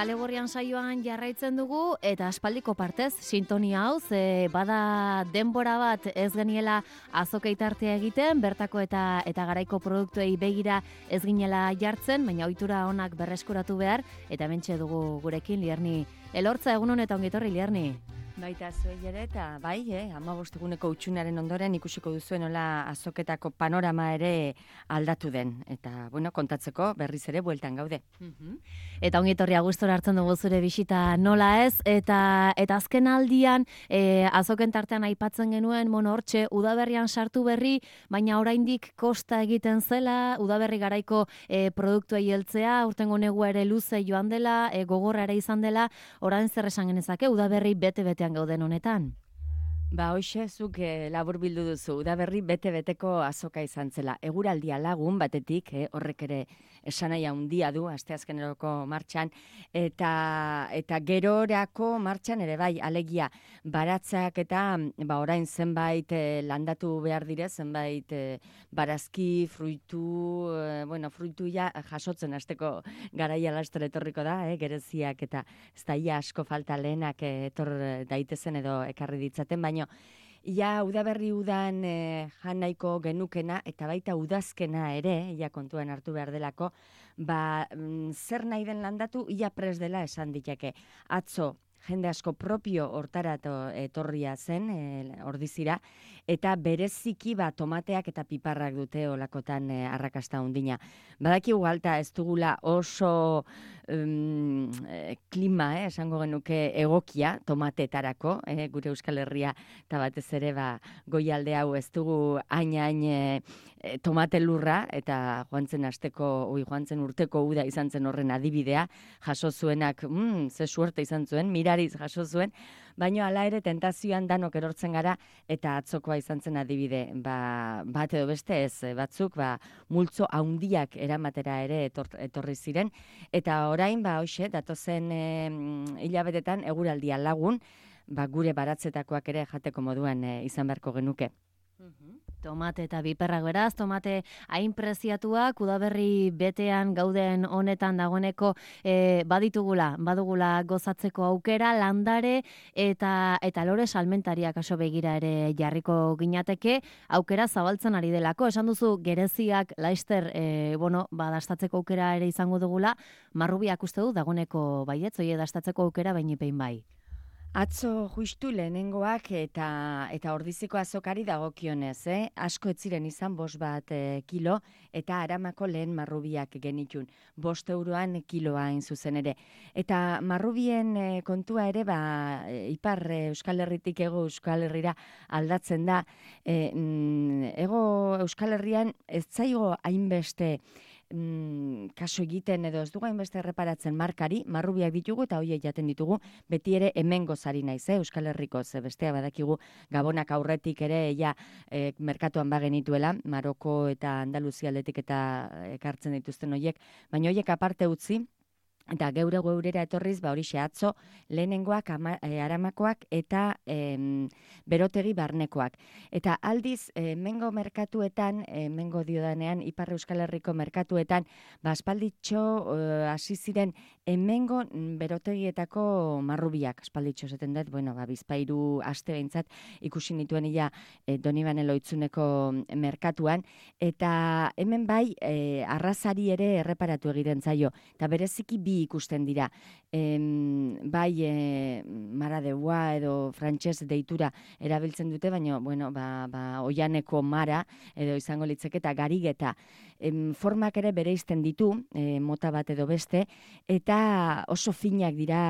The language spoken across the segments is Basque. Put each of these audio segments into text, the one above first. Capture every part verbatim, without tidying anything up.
Kale Gorrian saioan jarraitzen dugu eta aspaldiko partez sintonia hau ze bada denbora bat ez geniela azokeitartea egiten, bertako eta eta garaiko produktuei begira ez ginela jartzen, baina ohitura onak berreskuratu behar eta hementxe dugu gurekin Lierni Elortza. Egun on eta ongi etorri, Lierni. Baita zuei ere eta bai, eh, hamabost eguneko utxunaren ondoren ikusiko duzuen nola azoketako panorama ere aldatu den. Eta, bueno, kontatzeko berriz ere bueltan gaude. Uh-huh. Eta ongi etorri gustora hartzen dugu zure bisita nola ez, eta eta azken aldian eh, azoken tartean aipatzen genuen, mono hortxe, udaberrian sartu berri, baina oraindik kosta egiten zela, udaberri garaiko eh, produktuei heltzea, urtengo negua ere luze joan dela, eh, gogorra ere izan dela, orain zer esan genezake, udaberri bete-betean gauden honetan? Ba, hoxe, zuk eh, labur bildu duzu, udaberri bete-beteko azoka izan zela. Eguraldia lagun batetik, eh, horrek ere esanaia handia du, asteazkeneroko martxan, eta eta gerorako martxan ere bai, alegia, baratzak eta ba, orain zenbait eh, landatu behar dire, zenbait eh, barazki, fruitu, eh, bueno, fruituia jasotzen hasteko garaia laster etorriko da, eh, gereziak eta ez da ia asko falta lehenak eh, etor daitezen edo ekarri ditzaten, baina ia udaberri udan e, jan nahiko genukena eta baita udazkena ere, ia kontuan hartu behar delako, ba, mm, zer nahi den landatu, ia pres dela esan diteke. Atzo, jende asko propio hortara etorria zen, e, ordizira, eta bereziki ba, tomateak eta piparrak dute olakotan e, arrakasta hundina. Badaki ugalta ez dugula oso um, e, klima, eh, esango genuke egokia tomatetarako, eh, gure Euskal Herria eta batez ere ba, goialde hau ez dugu hain-hain e, e, tomate lurra, eta joan zen asteko, oi, joan zen urteko uda izan zen horren adibidea, jaso zuenak, mm, ze suerte izan zuen, mirariz jaso zuen, baina hala ere tentazioan danok erortzen gara eta atzokoa izan zen adibide. Ba, bat edo beste ez, batzuk ba, multzo haundiak eramatera ere etor, etorri ziren, eta orain ba hoxe, datozen e, hilabetetan eguraldia lagun, ba, gure baratzetakoak ere jateko moduan e, izan beharko genuke. Uh-huh. Tomate eta biperrak beraz, tomate hain preziatuak, udaberri betean gauden honetan dagoeneko e, baditugula, badugula gozatzeko aukera, landare eta eta lore salmentariak aso begira ere jarriko ginateke, aukera zabaltzen ari delako. Esan duzu gereziak laister e, bueno, ba, dastatzeko aukera ere izango dugula, marrubiak uste du dagoeneko baietz, oie dastatzeko aukera bainipein bai. Atzo justu lehenengoak eta eta ordiziko azokari dagokionez, eh? Asko ez ziren izan bost bat e, kilo, eta Aramako lehen marrubiak genitun, bost euroan kiloa hain zuzen ere. Eta marrubien e, kontua ere, ba, e, ipar e, Euskal Herritik ego Euskal Herrira aldatzen da. E, mm, ego Euskal Herrian ez zaigo hainbeste Mm, kaso egiten edo ez dugu hainbeste erreparatzen markari, marrubiak ditugu eta hoiek jaten ditugu, beti ere hemen gozari naiz, eh? Euskal Herriko, ze bestea badakigu Gabonak aurretik ere ja e, merkatuan bagenituela, Maroko eta Andaluzia aldetik eta ekartzen dituzten hoiek, baina hoiek aparte utzi, eta geure geurera etorriz, ba hori atzo lehenengoak ama, e, Aramakoak eta e, berotegi barnekoak. Eta aldiz, e, mengo merkatuetan, e, mengo diodanean, Ipar Euskal Herriko merkatuetan, ba aspalditxo hasi e, ziren hemengo berotegietako marrubiak, aspalditxo zaten dut, bueno, ba, bizpairu aste behintzat ikusi nituen ia e, Donibane Loitzuneko merkatuan, eta hemen bai e, arrazari ere erreparatu egiten zaio, eta bereziki bi ikusten dira. Em, bai e, maradeua edo frantses deitura erabiltzen dute, baina bueno, ba, ba, oianeko mara edo izango litzeke eta garigeta. Em, formak ere bereizten ditu, e, mota bat edo beste, eta oso finak dira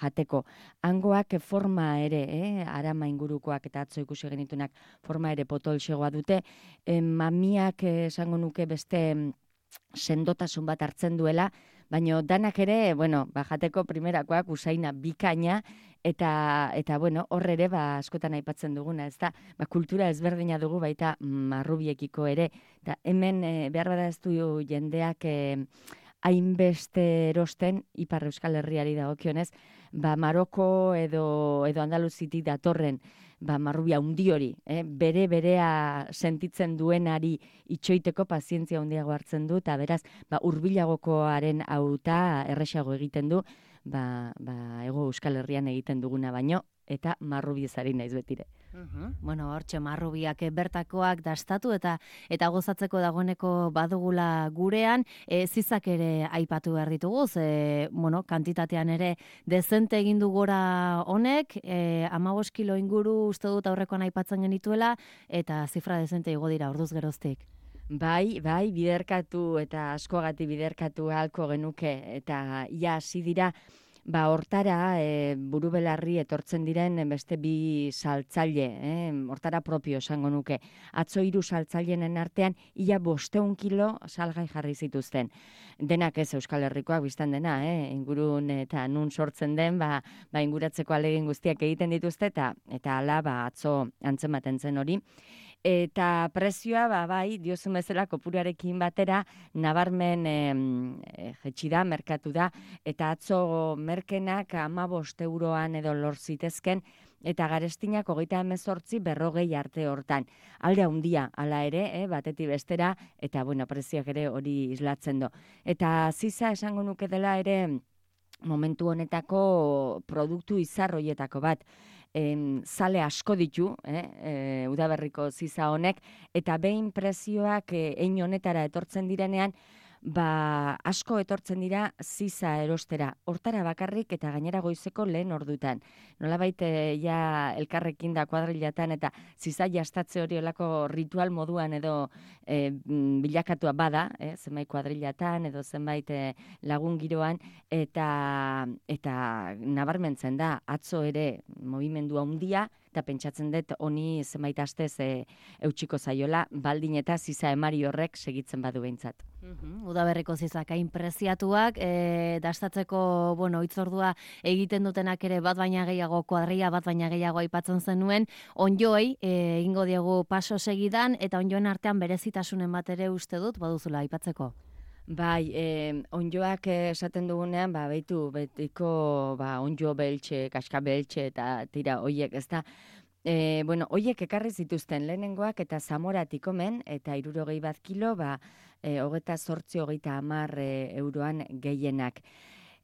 jateko. Hangoak forma ere, eh, Arama ingurukoak eta atzo ikusi genitunak forma ere potolxegoa dute. Em, mamiak esango nuke beste sendotasun bat hartzen duela, baina danak ere, bueno, ba, jateko primerakoak usaina bikaina, eta, eta bueno, hor ere, ba, askotan aipatzen duguna, ez da, ba, kultura ezberdina dugu baita marrubiekiko ere, eta hemen e, behar bada ez du jendeak e, hainbeste erosten, Ipar Euskal Herriari dagokionez, ba, Maroko edo, edo Andaluzitik datorren, ba, marrubia hundi hori, eh? bere berea sentitzen duenari itxoiteko pazientzia handiago hartzen du, eta beraz, ba, hurbilagokoaren hauta erresago egiten du, ba, ba, ego Euskal Herrian egiten duguna baino, eta marrubiez ari naiz betire. Uhum. Bueno, hortxe marrubiak bertakoak dastatu eta eta gozatzeko dagoeneko badugula gurean, e, zizak ere aipatu behar ditugu, ze, bueno, kantitatean ere dezente egin du gora honek, e, hamabost kilo inguru uste dut aurrekoan aipatzen genituela, eta zifra dezente igo dira orduz geroztik. Bai, bai, biderkatu eta askoagatik biderkatu ahalko genuke, eta ia hasi dira, ba, hortara e, burubelarri etortzen diren beste bi saltzaile, eh, hortara propio esango nuke. Atzo hiru saltzaileen artean ia bosteun kilo salgai jarri zituzten. Denak ez Euskal Herrikoak biztan dena, eh, ingurun eta nun sortzen den, ba, ba inguratzeko alegin guztiak egiten dituzte, eta eta hala ba, atzo antzematen zen hori. Eta prezioa, ba, bai, diozun bezala kopuruarekin batera, nabarmen e, jetxi da, merkatu da, eta atzo merkenak hamabost euroan edo lor zitezken, eta garestinak hogeita hemezortzi berrogei arte hortan. Alde handia hala ere, eh, batetik bestera, eta bueno, prezioak ere hori islatzen do. Eta ziza esango nuke dela ere momentu honetako produktu izarroietako bat. Em, zale asko ditu, eh, e, udaberriko ziza honek, eta behin prezioak eh, ein honetara etortzen direnean, ba asko etortzen dira ziza erostera, hortara bakarrik eta gainera goizeko lehen ordutan. Nolabait ja elkarrekin da kuadrilatan eta ziza jastatze hori olako ritual moduan edo e, bilakatua bada, eh, zenbait kuadrilatan edo zenbait e, lagun giroan, eta eta nabarmentzen da atzo ere mugimendu handia, eta pentsatzen dut honi zenbait astez e, eutxiko zaiola, baldin eta ziza emari horrek segitzen badu behintzat. Uhum, udaberriko zizak hain preziatuak, e, dastatzeko, bueno, itzordua egiten dutenak ere bat baina gehiago kuadria, bat baina gehiago aipatzen zenuen, onjoi, e, egingo diegu paso segidan, eta onjoen artean berezitasunen bat ere uste dut, baduzula aipatzeko. Bai, eh, onjoak esaten dugunean, ba, behitu, betiko, ba, onjo beltxe, kaska beltxe, eta tira, oiek, ez da, e, bueno, oiek ekarri zituzten lehenengoak, eta zamoratik omen, eta hirurogei bat kilo, ba, e, hogeta zortzi, hogeita hamar e, euroan gehienak.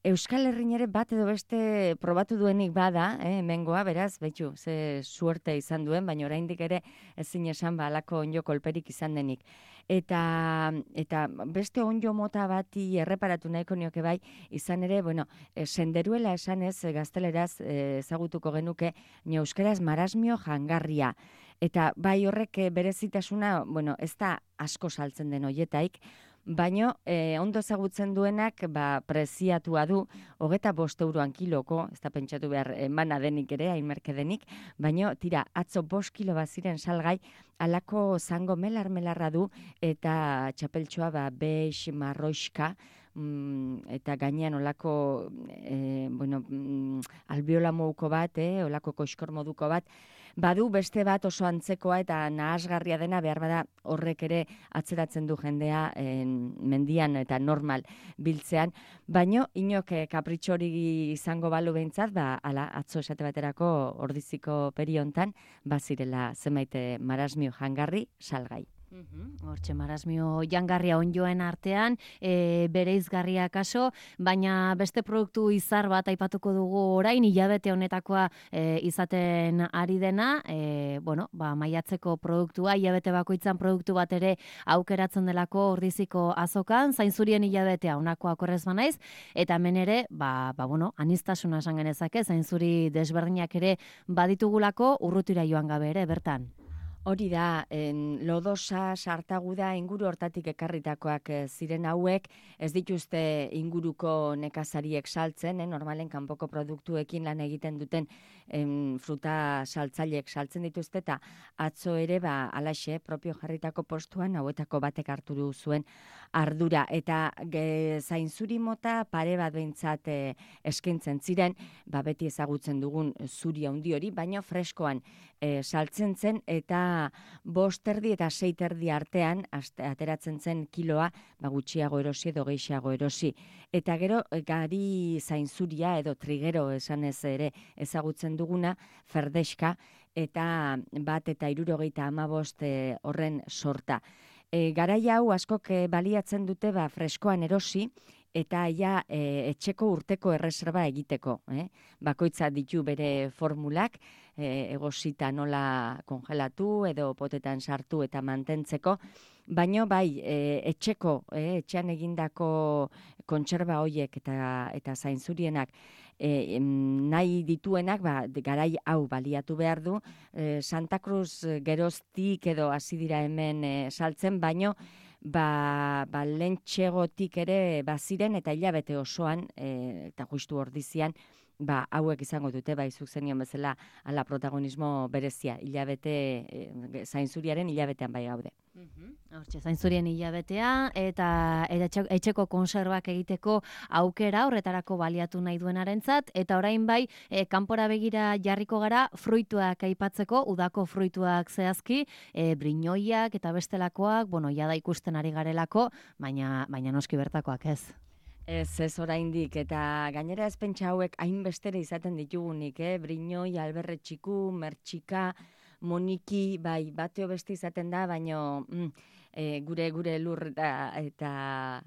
Euskal Herrin ere bat edo beste probatu duenik bada, eh, hemengoa, beraz, betxu, ze suerte izan duen, baina oraindik ere ezin esan ba alako onjo kolperik izan denik. Eta, eta beste onjo mota bati erreparatu nahiko nioke bai, izan ere, bueno, e, senderuela esanez, e, gazteleraz e, ezagutuko genuke, ni euskeraz marasmio jangarria. Eta bai horrek e, berezitasuna, bueno, ez da asko saltzen den hoietaik, baino eh, ondo ezagutzen duenak ba, preziatua du, hogeta bost euroan kiloko, ez da pentsatu behar emana denik ere, hainmerke denik, baino tira, atzo bost kilo baziren salgai, alako zango melar-melarra du, eta txapeltxoa ba, beix, marroixka, mm, eta gainean olako e, bueno, mm, albiola moduko bat, eh, olako koskor moduko bat, badu beste bat oso antzekoa eta nahasgarria dena behar bada horrek ere atzeratzen du jendea en, mendian eta normal biltzean, baino inok kapritxori izango balu behintzat, ba, ala, atzo esate baterako ordiziko periontan, bazirela zenbait marasmio jangarri salgai. Hortxe marasmio jangarria onjoen artean, e, bere izgarria kaso, baina beste produktu izar bat aipatuko dugu orain, hilabete honetakoa e, izaten ari dena, e, bueno, ba, maiatzeko produktua, hilabete bakoitzan produktu bat ere aukeratzen delako ordiziko azokan, zainzurien hilabetea honako akorrez banaiz, eta hemen ere, ba, ba, bueno, anistasuna esan genezake, zainzuri desberdinak ere baditugulako urrutira joan gabe ere, bertan. Hori da, en, lodosa, sartaguda, inguru hortatik ekarritakoak ziren hauek, ez dituzte inguruko nekazariek saltzen, eh, normalen kanpoko produktuekin lan egiten duten en, fruta saltzaileek saltzen dituzte, eta atzo ere, ba, alaxe, propio jarritako postuan, hauetako batek hartu du zuen ardura, eta ge, zainzuri mota pare bat behintzat eh, eskintzen ziren, ba, beti ezagutzen dugun zuri handi hori, baino freskoan eh, saltzen zen, eta bost erdi eta sei erdi artean aste, ateratzen zen kiloa, ba, gutxiago erosi edo gehiago erosi. Eta gero gari zainzuria edo trigero esanez ere ezagutzen duguna, ferdeska, eta bat eta hirurogeita hamabost e, horren sorta. E, garai hau askok e, baliatzen dute ba, freskoan erosi, eta ja e, etxeko urteko erreserba egiteko. Eh? Bakoitza ditu bere formulak, e, egosita nola kongelatu edo potetan sartu eta mantentzeko, baino bai e, etxeko, e, etxean egindako kontserba hoiek eta, eta zainzurienak E, nahi dituenak, ba, garai hau baliatu behar du, e, Santa Cruz geroztik edo hasi dira hemen e, saltzen, baino ba, ba lentxegotik ere baziren eta hilabete osoan, e, eta justu ordizian, ba, hauek izango dute, ba, izuk zenion bezala, ala protagonismo berezia, hilabete, e, zainzuriaren hilabetean bai gaude. Hortxe, zainzurien hilabetea eta, eta etxeko konserbak egiteko aukera horretarako baliatu nahi duenarentzat, eta orain bai, e, kanpora begira jarriko gara fruituak aipatzeko, udako fruituak zehazki, e, brinoiak eta bestelakoak, bueno, jada ikusten ari garelako, baina, baina noski bertakoak ez. Ez, ez oraindik, eta gainera ez pentsa hauek hainbestere izaten ditugunik, eh? Brinoi, alberretxiku, mertxika, moniki, bai, bateo beste izaten da, baino mm, e, gure gure lur da, eta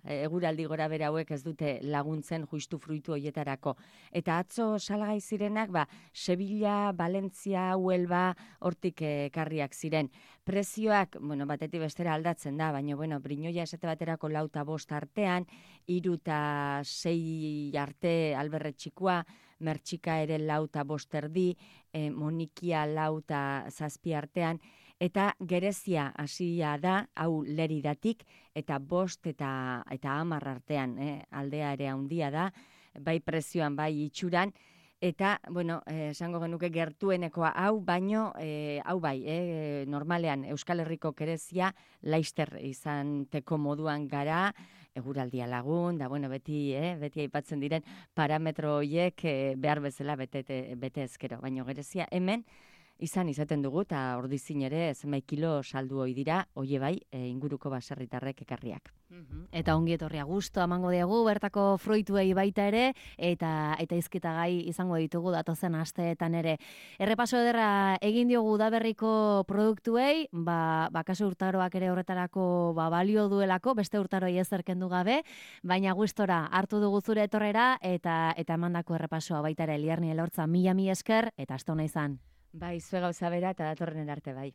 eguraldi gora bera hauek ez dute laguntzen justu fruitu hoietarako. Eta atzo salgai zirenak, ba, Sevilla, Valentzia, Huelva, hortik ekarriak ziren. Prezioak, bueno, batetik bestera aldatzen da, baina, bueno, brinoia esate baterako lauta bost artean, hiru eta sei arte alberretxikoa, mertxika ere lauta bost erdi, e, monikia lauta zazpi artean, eta gerezia hasia da, hau leridatik, eta bost eta, eta hamar artean, eh? Aldea ere handia da, bai prezioan, bai itxuran, eta, bueno, esango genuke gertuenekoa hau, baino, e, hau bai, eh, normalean Euskal Herriko gerezia laister izanteko moduan gara, eguraldia lagun, da, bueno, beti, eh, beti aipatzen diren parametro horiek eh, behar bezala bete, bete ezkero, baino gerezia hemen, izan izaten dugu, eta ordizin ere zenbait kilo saldu hoi dira, hoie bai, e, inguruko baserritarrek ekarriak. Eta ongi etorria gusto emango diegu bertako fruituei baita ere, eta eta hizketagai izango ditugu datozen asteetan ere. Errepaso ederra egin diogu udaberriko produktuei, ba, ba kasu urtaroak ere horretarako ba, balio duelako, beste urtaroi ezer kendu gabe, baina gustora hartu dugu zure etorrera, eta eta emandako errepasoa baita ere Liarni Elortza, mila mila esker, eta aste ona izan. Bai, zue gauza bera eta datorren arte bai.